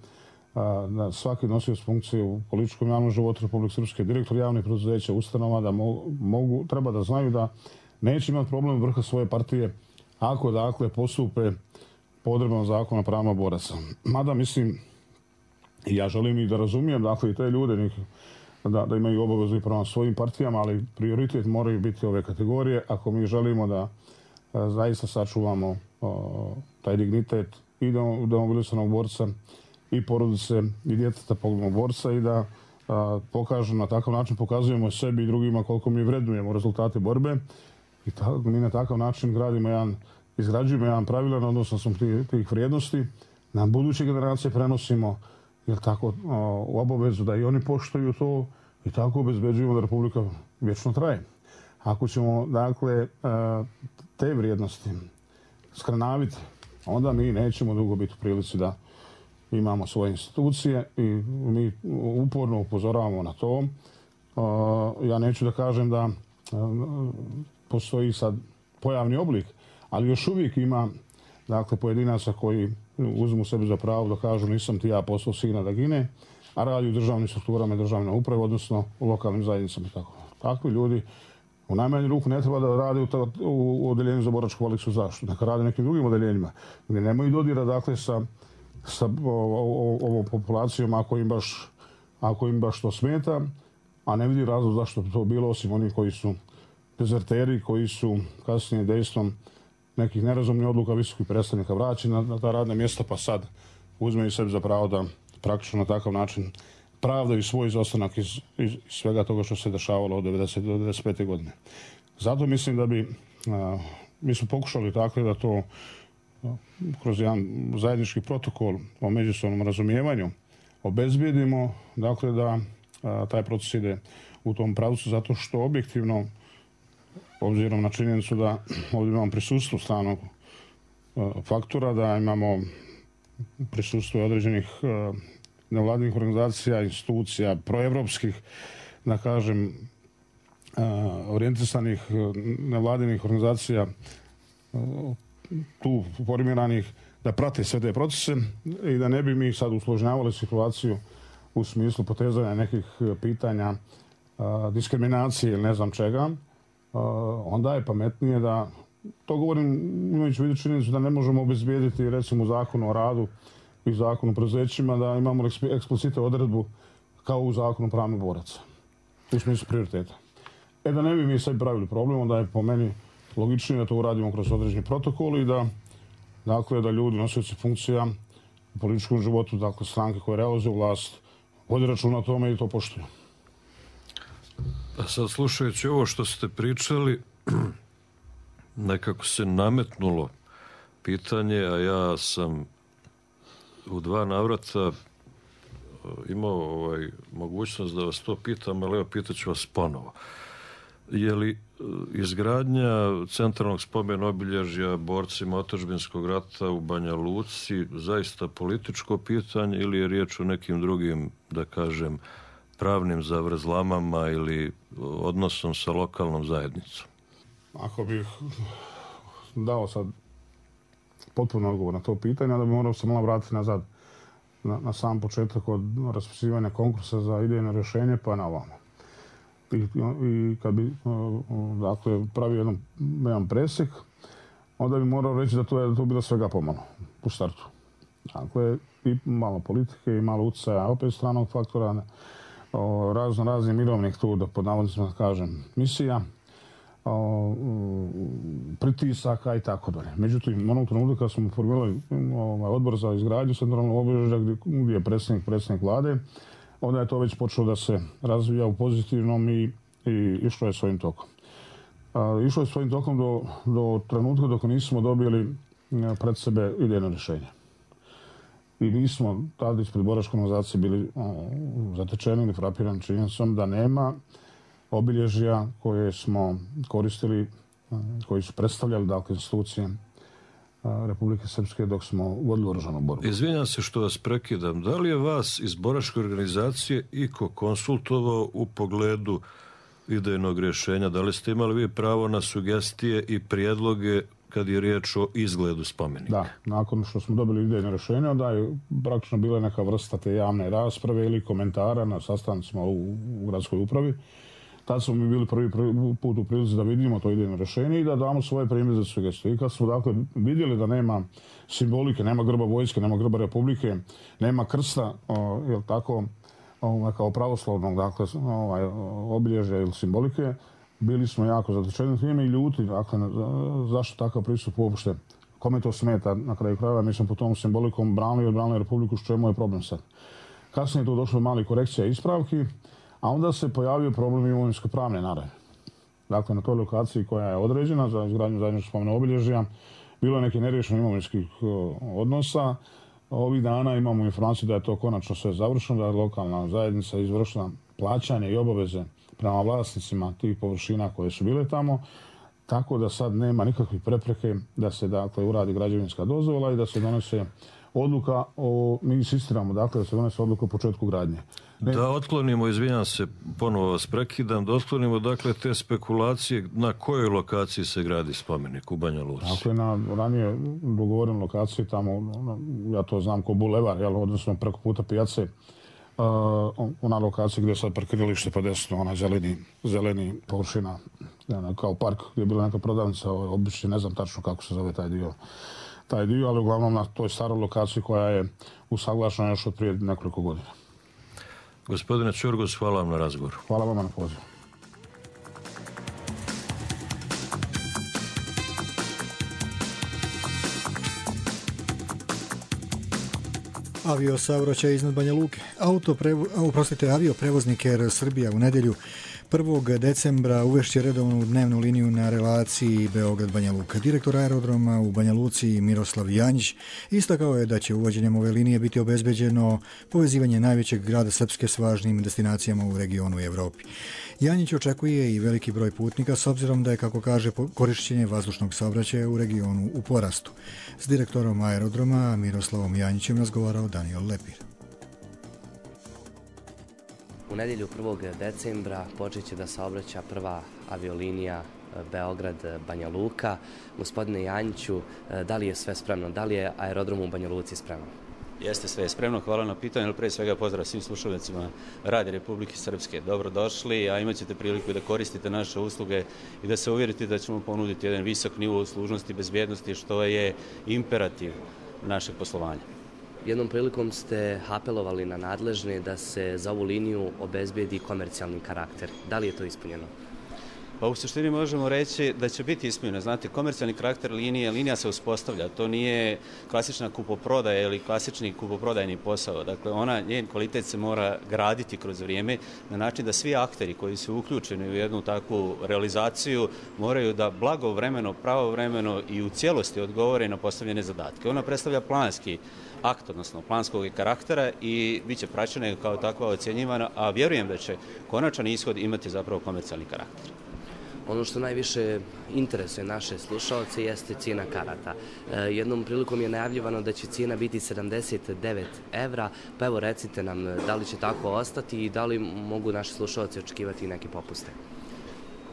da svaki nosioc funkcije u političkom javnom životu Republike Srpske, direktor javnih preduzeća, ustanova, da mogu, treba da znaju da neće imati problem vrha svoje partije ako, dakle, postupe po odredbama zakona o pravima boraca. Mada, mislim, i ja želim i da razumijem, dakle, i te ljude da, da imaju obavezu i prema svojim partijama, ali prioritet moraju biti ove kategorije ako mi želimo da a, zaista sačuvamo a, taj dignitet i demobilisanog borca i porodice i djeteta poginulog borca i da a, pokažemo, na takav način pokazujemo sebi i drugima koliko mi vrednujemo rezultate borbe i ta, mi na takav način gradimo jedan, izgrađujemo jedan pravilan odnosno sam tih, tih vrijednosti, na buduće generacije prenosimo jer tako o, u obavezu da i oni poštuju to i tako obezbeđujemo da Republika vječno traje. Ako ćemo, dakle, te vrijednosti skrenaviti, onda mi nećemo dugo biti u prilici da imamo svoje institucije i mi uporno upozoravamo na to. Ja neću da kažem da postoji sad pojavni oblik, ali još uvijek ima, dakle, pojedinaca koji uzmu sebi za pravo da kažu nisam ti ja poslao sina da gine, a radi u državnim strukturama i državne uprave, odnosno u lokalnim zajednicama. Tako. Takvi ljudi u najmanju ruku ne treba da rade u, ta, u odeljenju za boračku invalidsku zaštitu, neka rade nekim drugim odeljenjima, gdje nemaju dodira, dakle, sa, sa ovom populacijom ako im, baš, ako im baš to smeta, a ne vidi razlog zašto bi to bilo, osim oni koji su dezerteri, koji su kasnije dejstvom nekih nerazumnih odluka visokih predstavnika vraćeni na, na ta radna mjesta, pa sad uzmeju sebi za pravo da praktično na takav način pravdaju svoj izostanak iz, iz svega toga što se dešavalo od devedeset do devedeset pete godine. Zato mislim da bi, a, mi smo pokušali tako da to a, kroz jedan zajednički protokol o međusobnom razumijevanju obezbijedimo, dakle da a, taj proces ide u tom pravcu, zato što objektivno, obzirom na činjenicu da ovdje imamo prisustvo stranog a, faktora, da imamo prisustvo određenih a, nevladinih organizacija, institucija, proevropskih, da kažem, orijentisanih nevladinih organizacija tu formiranih da prate sve te procese i da ne bi mi sad usložnjavali situaciju u smislu potezanja nekih pitanja diskriminacije ili ne znam čega, onda je pametnije da to govorim imajući u vidu činjenicu da ne možemo obezbijediti recimo zakon o radu i zakon o preduzećima da imamo eksplicite odredbu kao u zakonu pravnih boraca u smislu prioriteta. E da ne bi mi sad pravili problem, onda je po meni logičnije da to uradimo kroz određeni protokol i da, dakle, da ljudi, nosioci funkcija u političkom životu, dakle stranke koje realizuju vlast, vodi računa o tome i to poštuju. A sad slušajući ovo što ste pričali, nekako se nametnulo pitanje, a ja sam u dva navrata imao ovaj, mogućnost da vas to pitam, ali evo pitat ću vas ponovo. Je li izgradnja centralnog spomen obilježja borcima otadžbinskog rata u Banja Luci zaista političko pitanje ili je riječ o nekim drugim, da kažem, pravnim zavrzlamama ili odnosom sa lokalnom zajednicom? Ako bih dao sad potpuno odgovor na to pitanje, onda bi morao se malo vratiti nazad na, na sam početak od raspisivanja konkursa za idejno rješenje pa na ovamo. I, i kad bi dakle, pravio jedan, jedan presjek, onda bi morao reći da to je da to bilo svega pomalo u startu. Dakle, i malo politike i malo utjecaja opet stranog faktora, o, razno raznih mirovnih tu, da pod navodnicima kažem, misija, o, pritisaka i tako dalje. Međutim, onog trenutka kad smo formirali ovaj, odbor za izgradnju centralnog obilježja gdje, gdje je predsjednik, predsjednik vlade, onda je to već počelo da se razvija u pozitivnom i, i išlo je svojim tokom. A, išlo je svojim tokom do, do trenutka dok nismo dobili pred sebe idejno rješenje. I mi smo tada ispred boračke organizacije bili o, zatečeni ili frapirani činjenicom da nema obilježja koje smo koristili, koji su predstavljali dakle, institucije Republike Srpske dok smo vodili oružanu borbu. Izvinjam se što vas prekidam. Da li je vas iz boračke organizacije iko konsultovao u pogledu idejnog rješenja? Da li ste imali vi pravo na sugestije i prijedloge kad je riječ o izgledu spomenika? Da, nakon što smo dobili idejno rješenje, onda je praktično bila neka vrsta te javne rasprave ili komentara na sastancima u, u gradskoj upravi. Tad smo mi bili prvi, prvi put u prilici da vidimo to idejno rješenje i da damo svoje primjedbe za sugestije. I kad smo dakle vidjeli da nema simbolike, nema grba vojske, nema grba Republike, nema krsta, o, jel tako, o, kao pravoslavnog dakle, ovaj, obilježja ili simbolike, bili smo jako zatečeni time i ljuti, dakle, zašto takav pristup uopšte, kome to smeta na kraju krajeva, mi smo po tom simbolikom branili i odbranili Republiku, što je moj problem sad. Kasnije je to došlo mali korekcija i ispravki, a onda se pojavio problem imovinsko-pravne naravi. Dakle, na toj lokaciji koja je određena za izgradnju zajedničkog spomenog obilježja, bilo je neki neriješeni imovinskih odnosa. Ovih dana imamo informaciju da je to konačno sve završeno, da je lokalna zajednica izvršila plaćanje i obaveze prema vlasnicima tih površina koje su bile tamo, tako da sad nema nikakvih prepreke da se dakle uradi građevinska dozvola i da se donese odluka o, mi insistiramo, dakle, da se donese odluka o početku gradnje. Ne... Da otklonimo, izvinjam se, ponovo vas prekidam, da otklonimo, dakle, te spekulacije na kojoj lokaciji se gradi spomenik u Banja Luci. Dakle, na ranije dogovorenom lokaciji, tamo, ja to znam ko bulevar, jel, odnosno preko puta pijace, uh, ona lokacija gdje je sad parkiralište pa desno, ona zeleni, zeleni površina, ja, kao park gdje je bila neka prodavnica, obični, ne znam tačno kako se zove taj dio, taj dio, ali uglavnom na toj staroj lokaciji koja je usaglašena još od prije nekoliko godina. Gospodine Ćorgos, hvala vam na razgovoru. Hvala vam na pozivu. Aviosaobraćaj iznad Banja Luke. Auto prevo, oprostite, avioprevoznik Air Srbija u nedjelju prvog decembra uvešće redovnu dnevnu liniju na relaciji Beograd-Banja Luka. Direktor aerodroma u Banja Luci Miroslav Janjić istakao je da će uvođenjem ove linije biti obezbeđeno povezivanje najvećeg grada Srpske s važnim destinacijama u regionu i Evropi. Janjić očekuje i veliki broj putnika s obzirom da je, kako kaže, korišćenje vazdušnog saobraćaja u regionu u porastu. S direktorom aerodroma Miroslavom Janjićem razgovarao Daniel Lepir. U nedjelju prvog decembra počet će da saobraća prva aviolinija Beograd-Banja Luka. Gospodine Janjiću, da li je sve spremno? Da li je aerodrom u Banja Luci spreman? Jeste, sve je spremno, hvala na pitanju, ali pre svega pozdrav svim slušalnicima Radija Republike Srpske. Dobrodošli, a imat ćete priliku da koristite naše usluge i da se uvjerite da ćemo ponuditi jedan visok nivo služnosti i bezbjednosti, što je imperativ našeg poslovanja. Jednom prilikom ste apelovali na nadležne da se za ovu liniju obezbijedi komercijalni karakter. Da li je to ispunjeno? Pa u suštini možemo reći da će biti ispunjeno. Znate, komercijalni karakter linije, linija se uspostavlja. To nije klasična kupoprodaja ili klasični kupoprodajni posao. Dakle, ona, njen kvalitet se mora graditi kroz vrijeme na način da svi akteri koji su uključeni u jednu takvu realizaciju moraju da blagovremeno, pravovremeno i u cijelosti odgovore na postavljene zadatke. Ona predstavlja planski akt, odnosno planskog karaktera i bit će praćena kao takva ocjenjivana, a vjerujem da će konačan ishod imati zapravo komercijalni karakter. Ono što najviše interesuje naše slušalce jeste cijena karata. Jednom prilikom je najavljivano da će cijena biti sedamdeset devet evra, pa evo recite nam da li će tako ostati i da li mogu naši slušalci očekivati neke popuste.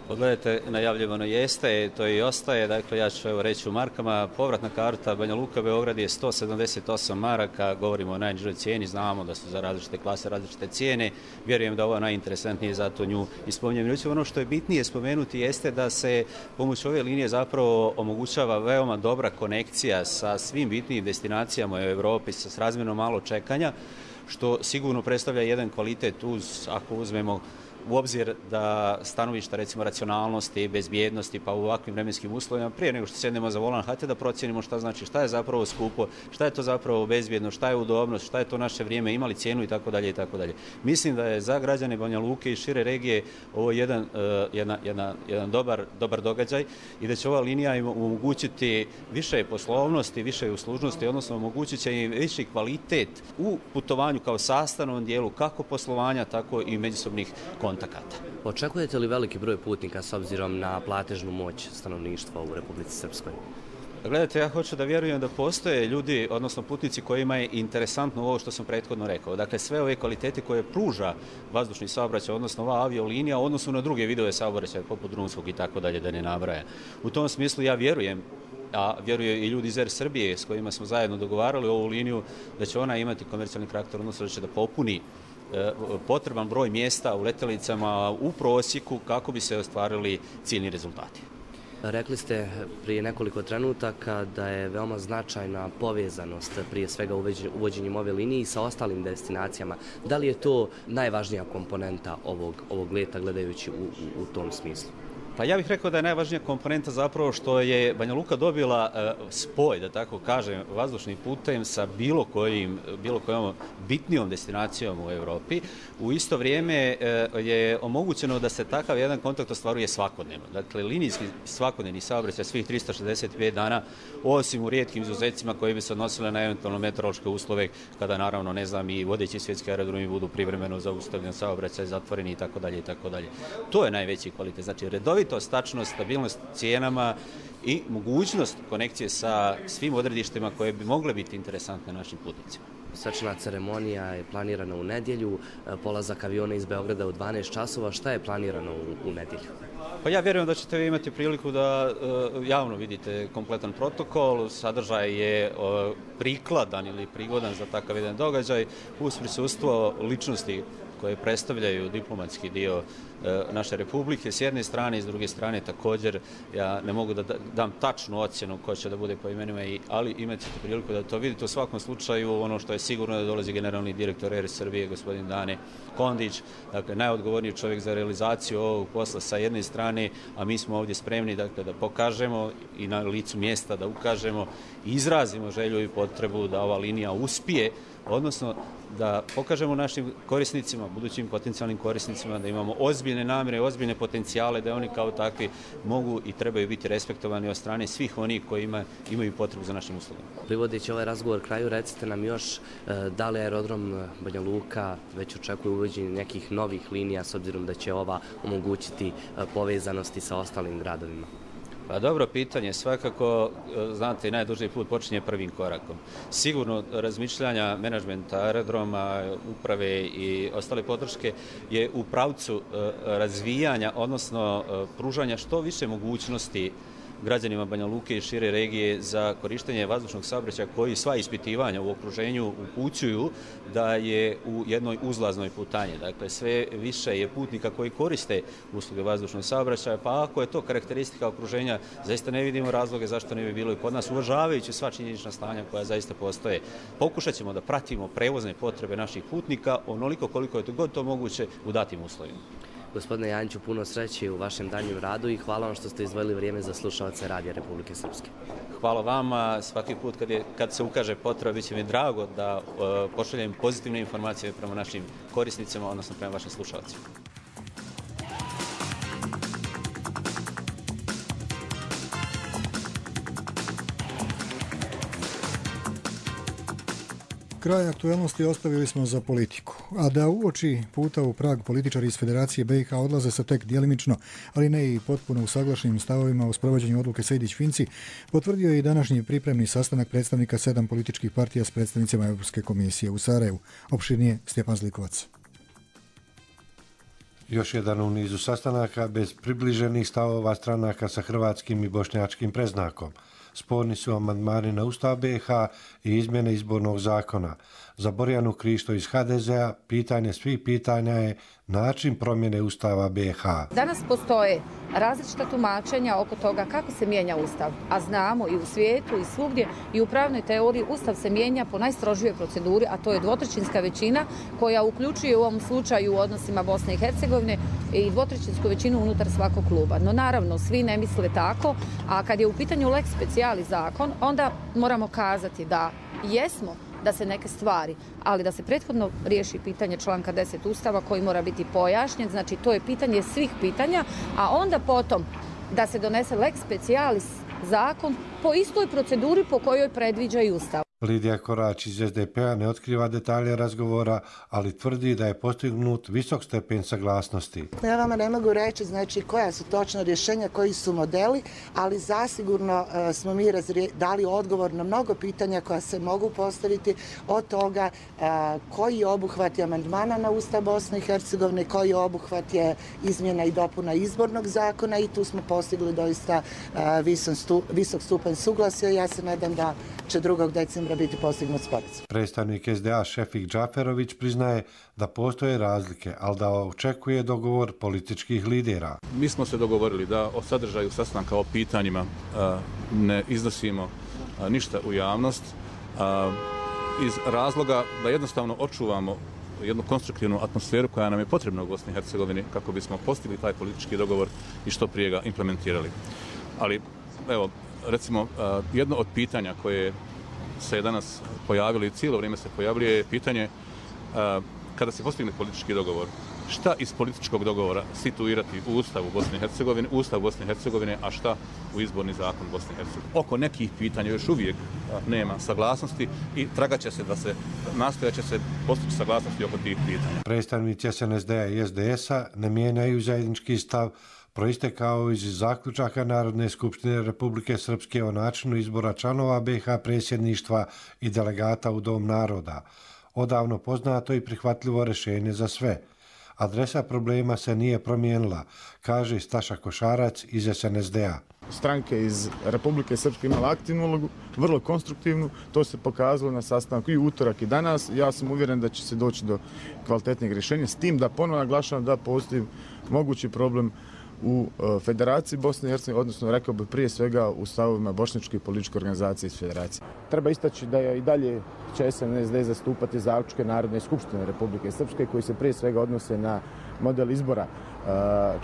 Pogledajte, najavljivano jeste, to i ostaje, dakle ja ću evo reći u markama, povratna karta Banja Luka Beograd je sto sedamdeset osam maraka, govorimo o najnižoj cijeni, znamo da su za različite klase različite cijene, vjerujem da ovo je najinteresantnije, zato nju ispominjem. Međutim, ono što je bitnije spomenuti jeste da se pomoću ove linije zapravo omogućava veoma dobra konekcija sa svim bitnijim destinacijama u Evropi, sa razmjerno malo čekanja, što sigurno predstavlja jedan kvalitet uz, ako uzmemo u obzir da stanovišta recimo racionalnosti, bezbjednosti, pa u ovakvim vremenskim uslovima, prije nego što sjednemo za volan, hajte da procijenimo šta znači, šta je zapravo skupo, šta je to zapravo bezbjedno, šta je udobnost, šta je to naše vrijeme, imali cijenu i tako dalje i tako dalje. Mislim da je za građane Banja Luke i šire regije ovo jedan, uh, jedna, jedna, jedan dobar, dobar događaj i da će ova linija im omogućiti više poslovnosti, više uslužnosti, odnosno omogućit će im viši kvalitet u putovanju kao sastavnom dijelu kako poslovanja, tako i međusobnih kontakata. Očekujete li veliki broj putnika s obzirom na platežnu moć stanovništva u Republici Srpskoj? Gledajte, ja hoću da vjerujem da postoje ljudi, odnosno putnici kojima je interesantno ovo što sam prethodno rekao. Dakle, sve ove kvalitete koje pruža vazdušni saobraćaj, odnosno ova aviolinija, odnosno na druge vidove saobraćaja, poput drumskog i tako dalje, da ne nabraja. U tom smislu ja vjerujem, a vjeruje i ljudi iz Er Srbije s kojima smo zajedno dogovarali ovu liniju, da će ona imati komercijalni karakter, odnosno da će da popuni potreban broj mjesta u letjelicama u prosjeku kako bi se ostvarili ciljni rezultati. Rekli ste prije nekoliko trenutaka da je veoma značajna povezanost prije svega uvođenjem ove linije sa ostalim destinacijama. Da li je to najvažnija komponenta ovog, ovog leta gledajući u, u, u tom smislu? Pa ja bih rekao da je najvažnija komponenta zapravo što je Banja Luka dobila uh, spoj, da tako kažem, vazdušnim putem sa bilo kojim, bilo kojom bitnijom destinacijom u Evropi. U isto vrijeme uh, je omogućeno da se takav jedan kontakt ostvaruje svakodnevno. Dakle, linijski svakodnevni saobraćaj svih trista šezdeset pet dana, osim u rijetkim izuzecima koji bi se odnosile na eventualno meteorološke uslove, kada naravno, ne znam, i vodeći svjetski aerodromi budu privremeno zaustavljeni saobraćaj, zatvoreni i tako dalje i tako dalje. To je najveći kvalitet. Znači, redovito stačnost, stabilnost cijenama i mogućnost konekcije sa svim odredištima koje bi mogle biti interesantne našim putnicima. Svečana ceremonija je planirana u nedjelju, polazak aviona iz Beograda u dvanaest časova. Šta je planirano u, u nedjelju? Pa ja vjerujem da ćete vi imati priliku da uh, javno vidite kompletan protokol. Sadržaj je uh, prikladan ili prigodan za takav jedan događaj uz prisustvo ličnosti koje predstavljaju diplomatski dio naše republike s jedne strane i s druge strane također ja ne mogu da dam tačnu ocjenu ko će da bude po imenima, ali imat ćete priliku da to vidite. U svakom slučaju ono što je sigurno da dolazi generalni direktor Er Srbije, gospodin Dane Kondić, dakle najodgovorniji čovjek za realizaciju ovog posla sa jedne strane, a mi smo ovdje spremni dakle, da pokažemo i na licu mjesta da ukažemo i izrazimo želju i potrebu da ova linija uspije, odnosno da pokažemo našim korisnicima, budućim potencijalnim korisnicima da imamo ozbiljne namjere, ozbiljne potencijale, da oni kao takvi mogu i trebaju biti respektovani od strane svih onih koji ima, imaju potrebu za našim uslugama. Privodeći ovaj razgovor kraju, recite nam još da li aerodrom Banja Luka već očekuje uvođenje nekih novih linija s obzirom da će ova omogućiti povezanosti sa ostalim gradovima? Pa dobro pitanje, svakako, znate, najduži put počinje prvim korakom. Sigurno razmišljanja menadžmenta aerodroma, uprave i ostale podrške je u pravcu razvijanja, odnosno pružanja što više mogućnosti građanima Banja Luke i šire regije za korištenje vazdušnog saobraćaja koji sva ispitivanja u okruženju upućuju da je u jednoj uzlaznoj putanji. Dakle, sve više je putnika koji koriste usluge vazdušnog saobraćaja, pa ako je to karakteristika okruženja, zaista ne vidimo razloge zašto ne bi bilo i kod nas, uvažavajući sva činjenična stanja koja zaista postoje. Pokušat ćemo da pratimo prevozne potrebe naših putnika onoliko koliko je to god to moguće u datim uslovima. Gospodine Janjiću, puno sreće u vašem daljem radu i hvala vam što ste izdvojili vrijeme za slušalce Radija Republike Srpske. Hvala vama. Svaki put kad, je, kad se ukaže potreba, bit će mi drago da uh, pošaljem pozitivne informacije prema našim korisnicima, odnosno prema vašim slušalcima. Kraj aktuelnosti ostavili smo za politiku, a da uoči puta u Prag političari iz Federacije B i H odlaze sa tek djelimično, ali ne i potpuno usaglašenim stavovima u sprovođenju odluke Sejdić-Finci, potvrdio je i današnji pripremni sastanak predstavnika sedam političkih partija s predstavnicima Europske komisije u Sarajevu. Opširnije Stjepan Zlikovac. Još jedan u nizu sastanaka bez približenih stavova stranaka sa hrvatskim i bošnjačkim preznakom. Sporni su amandmani na Ustav B i H i izmjene izbornog zakona. Za Borjanu Krišto iz H D Z-a pitanje svih pitanja je način promjene Ustava B i H. Danas postoje različita tumačenja oko toga kako se mijenja Ustav, a znamo i u svijetu i svugdje i u pravnoj teoriji Ustav se mijenja po najstrožijoj proceduri, a to je dvotrećinska većina koja uključuje u ovom slučaju u odnosima Bosne i Hercegovine i dvotrećinsku većinu unutar svakog kluba. No naravno, svi ne misle tako, a kad je u pitanju lex specialis zakon, onda moramo kazati da jesmo da se neke stvari, ali da se prethodno riješi pitanje članka deset Ustava koji mora biti pojašnjen, znači to je pitanje svih pitanja, a onda potom da se donese lex specialis zakon po istoj proceduri po kojoj predviđa i Ustav. Lidija Korać iz S D P-a ne otkriva detalje razgovora, ali tvrdi da je postignut visok stepen saglasnosti. Ja vama ne mogu reći znači, koja su točno rješenja, koji su modeli, ali zasigurno uh, smo mi razrije, dali odgovor na mnogo pitanja koja se mogu postaviti od toga uh, koji je obuhvat je amandmana na Ustav Bosne i Hercegovine, koji je obuhvat je izmjena i dopuna izbornog zakona i tu smo postigli doista uh, visok, stu, visok stupanj suglasja. Ja se nadam da će drugog decembra biti postignut sporazum. Predstavnik S D A Šefik Džaferović priznaje da postoje razlike, ali da očekuje dogovor političkih lidera. Mi smo se dogovorili da o sadržaju sastanka, o pitanjima ne iznosimo ništa u javnost iz razloga da jednostavno očuvamo jednu konstruktivnu atmosferu koja nam je potrebna u Bosni i Hercegovini kako bismo postigli taj politički dogovor i što prije ga implementirali. Ali, evo, recimo, jedno od pitanja koje se je danas pojavilo i cijelo vrijeme se pojavljuje je pitanje kada se postigne politički dogovor, šta iz političkog dogovora situirati u Ustavu Bosne i Hercegovine, Ustav Bosne i Hercegovine, a šta u izborni zakon Bosne i Hercegovine. Oko nekih pitanja još uvijek nema saglasnosti i tragat će se da se nastojat će se postići saglasnosti oko tih pitanja. Predstavnici S N S D-a i S D S-a ne mijenjaju zajednički stav proistekao iz zaključaka Narodne skupštine Republike Srpske o načinu izbora članova B i H predsjedništva i delegata u Dom naroda. Odavno poznato i prihvatljivo rješenje za sve. Adresa problema se nije promijenila, kaže Staša Košarac iz S N S D-a. Stranke iz Republike Srpske imala aktivnu ulogu, vrlo konstruktivnu, to se pokazalo na sastanku i utorak i danas. Ja sam uvjeren da će se doći do kvalitetnih rješenja, s tim da ponovno naglašavam da postoji mogući problem u Federaciji Bosne i Hercegovine, odnosno rekao bi prije svega u stavovima bošnjačke političke organizacije iz Federacije. Treba istaći da je i dalje će S N S D zastupati zaključke Narodne skupštine Republike Srpske koji se prije svega odnose na model izbora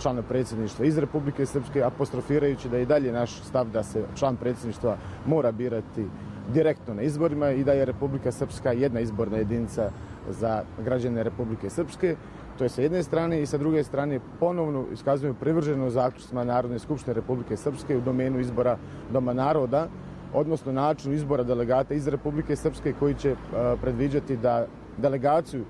člana predsjedništva iz Republike Srpske, apostrofirajući da je i dalje naš stav da se član predsjedništva mora birati direktno na izborima i da je Republika Srpska jedna izborna jedinica za građane Republike Srpske. To je sa jedne strane i sa druge strane ponovno iskazuju privrženo zaključcima Narodne skupštine Republike Srpske u domenu izbora Doma naroda, odnosno načinu izbora delegata iz Republike Srpske koji će predviđati da delegaciju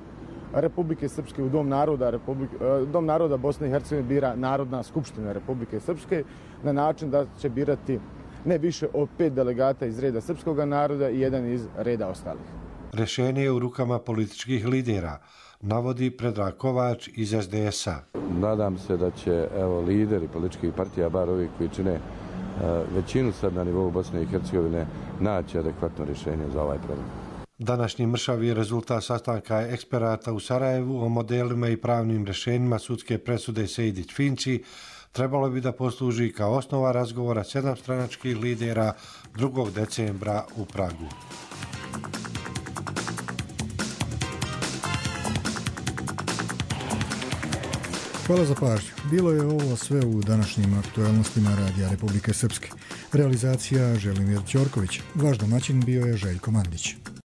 Republike Srpske u Dom naroda, Republike, Dom naroda Bosne i Hercegovine bira Narodna skupština Republike Srpske na način da će birati ne više od pet delegata iz reda srpskog naroda i jedan iz reda ostalih. Rješenje je u rukama političkih lidera, navodi Predrag Kovač iz S D S-a. Nadam se da će evo, lideri političkih partija, bar ovi koji čine većinu sad na nivou Bosne i Hercegovine naći adekvatno rješenje za ovaj problem. Današnji mršavi rezultat sastanka eksperata u Sarajevu o modelima i pravnim rješenjima sudske presude Sejdić-Finci trebalo bi da posluži kao osnova razgovora sedam stranačkih lidera drugog decembra u Pragu. Hvala za pažnju. Bilo je ovo sve u današnjim aktualnostima Radija Republike Srpske. Realizacija Želimir Ćorković. Vaš domaćin bio je Željko Mandić.